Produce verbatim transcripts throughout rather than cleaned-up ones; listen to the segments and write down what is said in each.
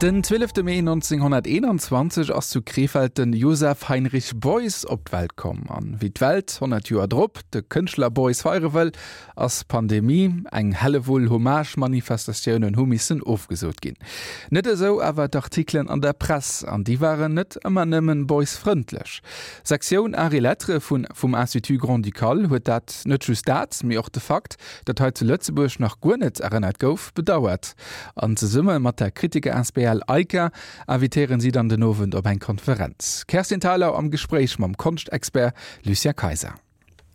Den zwielefte Mee nonzénghonnerteenanzwanzeg ass zu Krefeld den Joseph Heinrich Beuys op d'Welt komm. An wéi d'Welt honnert Joer drop de Kënschtler Beuys feiere wëll, ass Pandemie, eng Hellewull Hommage-Manifestatiounen hu missen ofgesot ginn. Net esou awer d'Artikelen an der Press, an déi waren net ëmmer nëmmen Beuys-frëndlech. Sektioun Arts et Lettres vun vum Institut Grand-Ducal huet dat, net just dat, mee och de Fakt, datt hei zu Lëtzebuerg nach guer net erënnert gouf, bedauert. An zesumme mat der Kritiker asbl AICA invitéieren si dann den Owend op eng Konferenz. Kerstin Thalau am Gespréich mam Konschtexpert Lucien Kayser.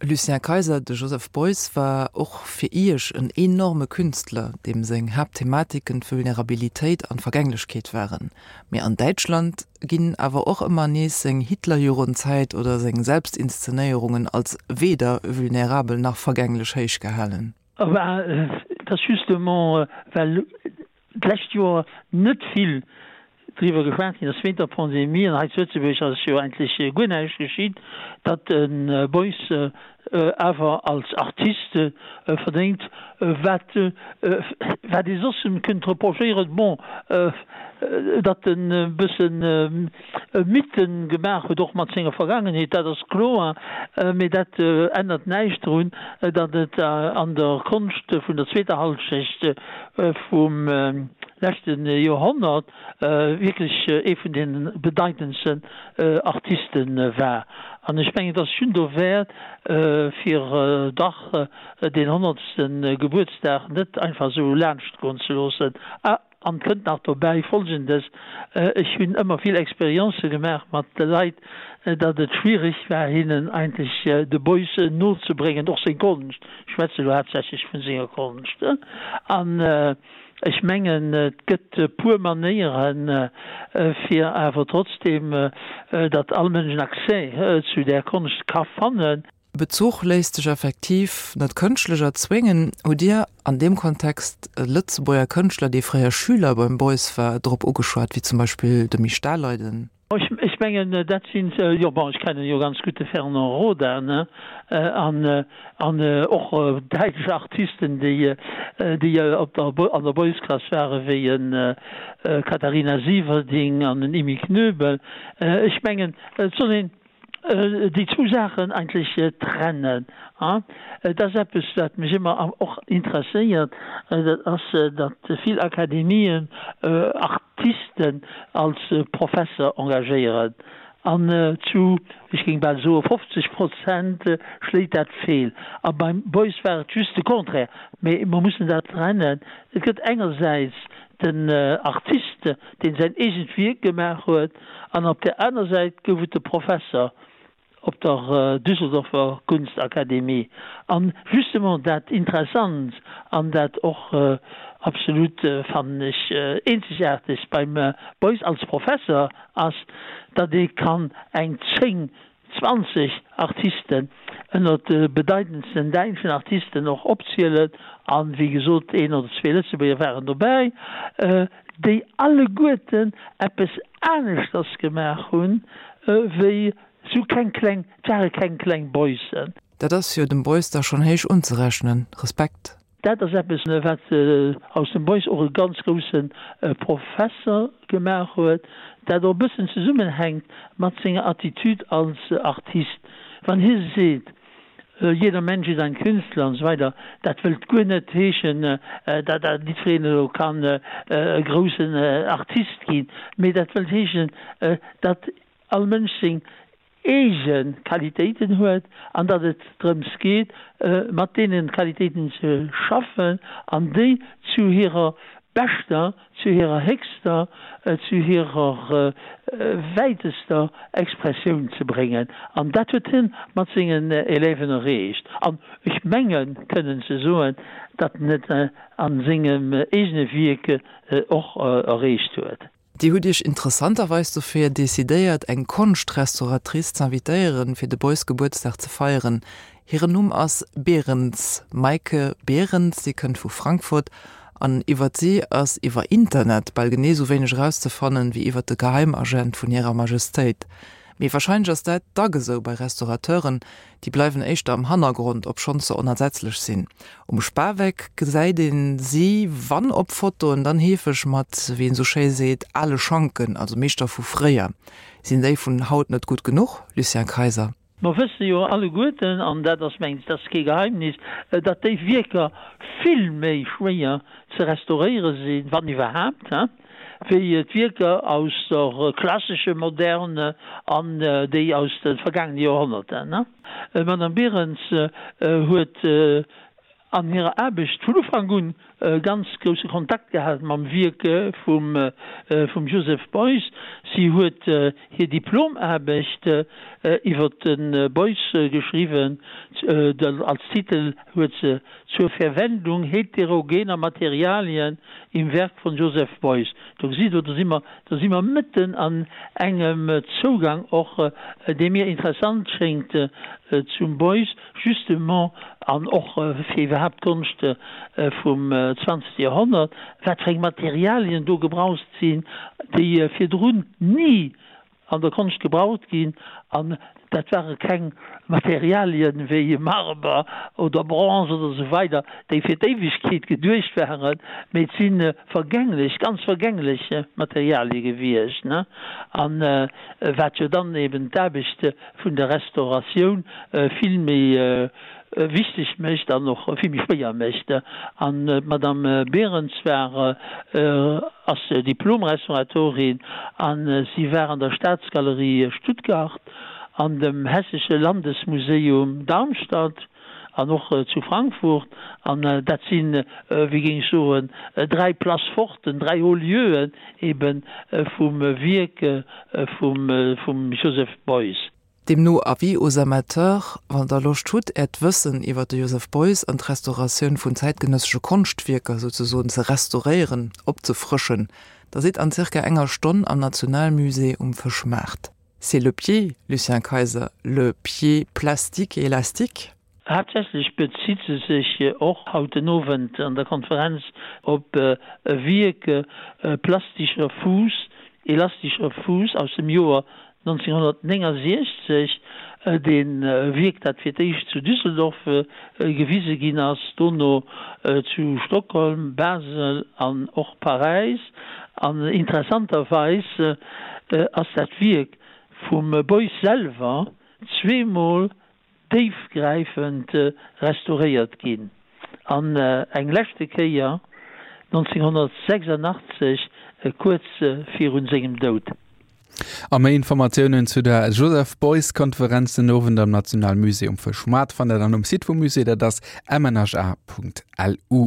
Lucien Kayser, De Joseph Beuys war och fir Iech en enorme Künstler, deem seng Haaptthematiken d'Vulnerabilitéit an d'Vergänglechkeet waren. Mee an Däitschland ginn awer och ëmmer nees seng Hitlerjugendzäit oder seng Selbstinszenéierungen als weder vulnerabel nach vergänglech héichgehalen. Bah, et ass justement, well d'lescht Joer net vill driwwer geschwat ginn ass wéint der Pandemie, an hei zu Lëtzebuerg ass jo eigentlech guer näischt geschitt, datt de Beuys awer als Artist verdéngt, wat wat ee soss em kënnt reprochéieren, bon, datt en e bëssen Mythen gemaach huet, och mat senger Vergaangenheet, dat ass kloer, mee dat ännert näischt drun, datt et an der Konscht vun der zweeter Hallschecht vum leschte Joerhonnert wierklech ee vun de bedeitendsten Artiste war. An ech mengen, et ass schonn dowäert, fir dach deen honnertste Gebuertsdag net einfach esou laanschtgoen ze loossen. An kënnt nach dobäi Folgendes, Ech hunn ëmmer vill Experienze gemaach mat de Leit, datt et schwierig war, hinnen eigentlech de Beuys nozebréngen, och seng Konscht, ech schwätze elo haaptsächlech vu senger Konscht. An ech mengen, et gëtt e puer Manéieren, fir awer trotzdem, datt all Mënsch en Accès zu där Konscht ka fannen. Bezuch léisst sech effektiv net kënschtlech erzwéngen. Hutt Dir an deem Kontext e Lëtzebuerger Kënschtler, dee fréier Schüler beim Beuys war, drop ugeschwat, wéi zum Beispill de Misch Daleiden? Ech mengen, dat sinn, jo, bon, ech kennen jo ganz gutt de Fernand Roda, ne, an, an och däitsch Artisten, déi, déi op der, an der Beuys-Klass waren, wéi e Katharina Sieverding an en Emmy Knöbel. Ech mengen, et soll een déi zwou Saachen eigentlech trennen. Et ass eppes, wat mech ëmmer och interesséiert, dat ass, datt vill Akademien Artisten als Professer engagéieren. An zu, ech géing bal soe fofzeg Prozent schléit dat feel. A beim Beuys war et just de Contraire. Mee mer mussen dat trennen. Et gëtt engersäits den Artist, deen säin eegent Wierk gemaach huet, an op där aner Säit gouf et de Professer op der Düsseldorfer Kunstakademie. An justement dat Interessant an dat och absolut, fannen ech, Eenzegaartegt beim Beuys als Professer ass, datt ee kann eng zéng, zwanzeg Artisten ënnert de bedeitendsten däitschen Artisten och opzielen, a wéi gesot een oder zwee Lëtzebuerger waren dobäi, déi alleguerten eppes aneschters gemaach hunn, wéi sou keng kleng, et ware keng kleng Beuys'en. Dat ass jo dem Beuys da schonn héich unzerechnen. Respekt! Dat ass eppes, wat aus dem Beuys och e ganz grousse Professer gemaach huet, dat och e bëssen zesummenhänkt mat senger Attitude als Artist. Wann hie seet, Jeder Mensch ist ein Künstler an esou weider, dat wëllt guer net heeschen, datt jiddwereen elo kann e groussen Artist ginn, mee dat wëllt heeschen, datt all Mënsch seng eege Qualitéiten huet an datt et drëms geet, mat deene Qualitéiten ze schaffen an déi zu hirer beschter, zu hirer héchster, zu hirer wäitester Expressioun ze bréngen. An dat huet hie mat sengen Élèven erreecht. An ech mengen kënnen ze soen, datt en et a sengem eegene Wierk och erreecht huet. Dir hutt Iech interessanterweis dofir decidéiert, eng Konschtrestauratrice z'invitéieren, fir de Beuys Gebuertsdag ze feieren. Hiren Numm ass Behrens, Maike Behrens. Si kënnt vu Frankfurt an iwwert si ass iwwer Internet bal genee sou wéineg erauszefannen, wéi iwwert de Geheimagent vun hirer Majestéit. Mee warscheinlech ass dat dacks esou bei Restaurateuren, déi bleiwen éischter am Hannergrond, obschonn se onersetzlech sinn. Um Spaweck gesäit een si wann op Fotoen, dann heefeg mat, wéi een esou schéi seet, ale Schanken, also Meeschter vu fréier. Sinn déi vun haut net gutt genuch, Lucien Kayser? Mer wësse jo alleguerten, an dat ass, mengen ech, dat ass kee Geheimnis, datt déi Wierker vill méi schwéier ze restauréiere sinn, wann iwwerhaapt, wéi d'Wierker aus der klassesche Moderne an déi aus de vergaangene Joerhonnerten. D'Madame Berens huet an hirer Aarbecht vun Ufank un ganz grousse Kontakt gehat mam Wierk vum Joseph Beuys. Si huet hir Diplomaarbecht iwwer de Beuys geschriwwen. Als Titel huet se Zur Verwendung heterogener Materialien im Werk von Joseph Beuys. Do gesitt Der, do si mer, do si mer mëtten an engem Zougang och, dee mir interessant schéngt zum Beuys justement an och fir iwwerhaapt d'Konscht vum zwanzegste Joerhonnert, wat fir eng Materialien do gebraucht sinn, déi virdrun ni an der Konscht gebraucht ginn. An dat ware keng Materialien wéi Marber oder Bronze oder esou weider, déi fir d'Éiwegkeet geduecht waren, mee et si vergänglech, ganz vergänglech Materialie gewiescht. An wat jo dann eben d'Aarbecht vun der Restauratioun vill méi wichteg mécht an och vill méi schwéier mécht. An d'Madame Berens war, ass Diplom-Restauratorin a si war an der Staatsgalerie Stuttgart, an dem Hessische Landesmuseum Darmstadt an och zu Frankfurt. An dat sinn, wéi géing ech soen, dräi Places forten, dräi Hauts lieux ebe vum Wierk vum Joseph Beuys. Deemno Avis aux amateurs, Wann der Loscht hutt, äert Wëssen iwwer de Joseph Beuys an d'Restauratioun vun zäitgenëssesche Konschtwierker souzesoen ze restauréieren, opzefrëschen, da sidd an zirka enger Stonn am Nationalmusée um Fëschmaart. C'est le pied, Lucien Kayser, le pied plastique et élastique? Haaptsächlech bezitt se sech och haut den Owend an der Konferenz op e Wierk Plastischer Fuß, elastischer Fuß aus dem Joer nonzénghonnertnéngensechzeg, dee Wierk, dat fir d'éischt zu Düsseldorf gewise ginn ass, dono zu Stockholm, Basel an och Paräis. An interessanterweis ass dat Wierk vum Beuys selwer zweemol déifgräifend restauréiert ginn, an eng leschte Kéier nonzénghonnertsechsundachtzeg, kuerz virun sengem Doud. A méi Informatiounen zu der Joseph Beuys Konferenz den Owend am Nationalmusée um Fëschmaart fannt der dann um Site vum Musée, dat ass mnha.lu.